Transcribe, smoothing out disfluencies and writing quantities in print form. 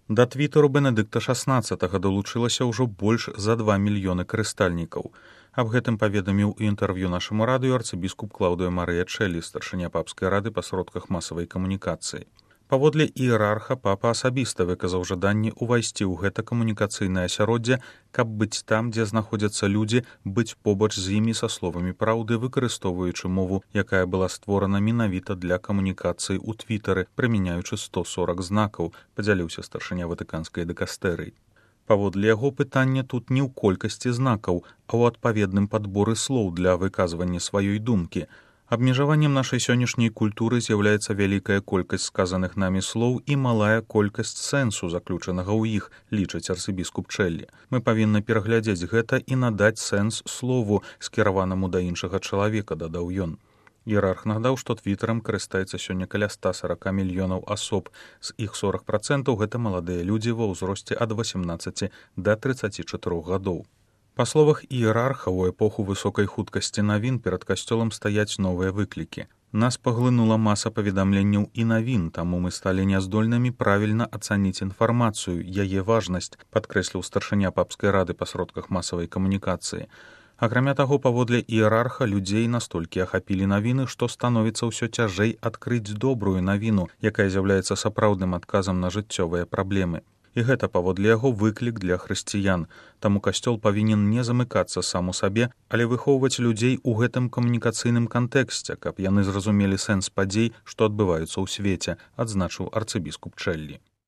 Да твітару Бенедыкта XVI далучылася ўжо больш за 2 мільёны карыстальнікаў. Аб гэтым паведаміў у інтэрв'ю нашаму радыё арцыбіскуп Клаўдыя Марыя Чэлі, старшыня папскай рады па сродках масавай камунікацыі. Паводле іерарха папа асабіста выказаў жаданне ўвайсці ў гэта камунікацыйнае асяроддзе, каб быць там, дзе знаходзяцца людзі, быць побач з імі са словамі праўды, выкарыстоўваючы мову, якая была створана менавіта для камунікацыі ў твітары, прымяняючы 140 знакаў, падзяліўся старшыня ватыканскай дыкастэрыі. Паводле яго пытання тут не ў колькасці знакаў, а ў адпаведным падборы слоў для выказвання сваёй думкі. Абмежаваннем нашай сённяшняй культуры з'яўляецца вялікая колькасць сказаных намі слоў і малая колькасць сэнсу, заключанага ў іх, лічыць арцыбіскуп Чэлі. Мы павінны пераглядзець гэта і надаць сэнс слову, скіраванаму да іншага чалавека, дадаў ён. Іерарх нагадаў, што твітарам карыстаецца сёння каля 140 мільёнаў асоб, з іх 40% гэта маладыя людзі ва ўзросце ад 18 да 34 гадоў. Па словах іерарха, у эпоху высокай хуткасці навін перад касцёлам стаяць новыя выклікі. Нас паглынула маса паведамленняў і навін, таму мы сталі няздольнымі правільна ацаніць інфармацыю, яе важнасць, падкрэсліў старшыня папскай рады па сродках масавай камунікацыі. Акрамя таго, паводле іерарха, людзей настолькі ахапілі навіны, што становіцца ўсё цяжэй адкрыць добрую навіну, якая з'яўляецца сапраўдным адказам на жыццёвыя праблемы. І гэта, паводле яго, выклік для хрысціян. Таму касцёл павінен не замыкацца сам у сабе, але выхоўваць людзей у гэтым камунікацыйным кантэксце, каб яны зразумелі сэнс падзей, што адбываюцца ў свеце, адзначыў арцыбіскуп Чэлі.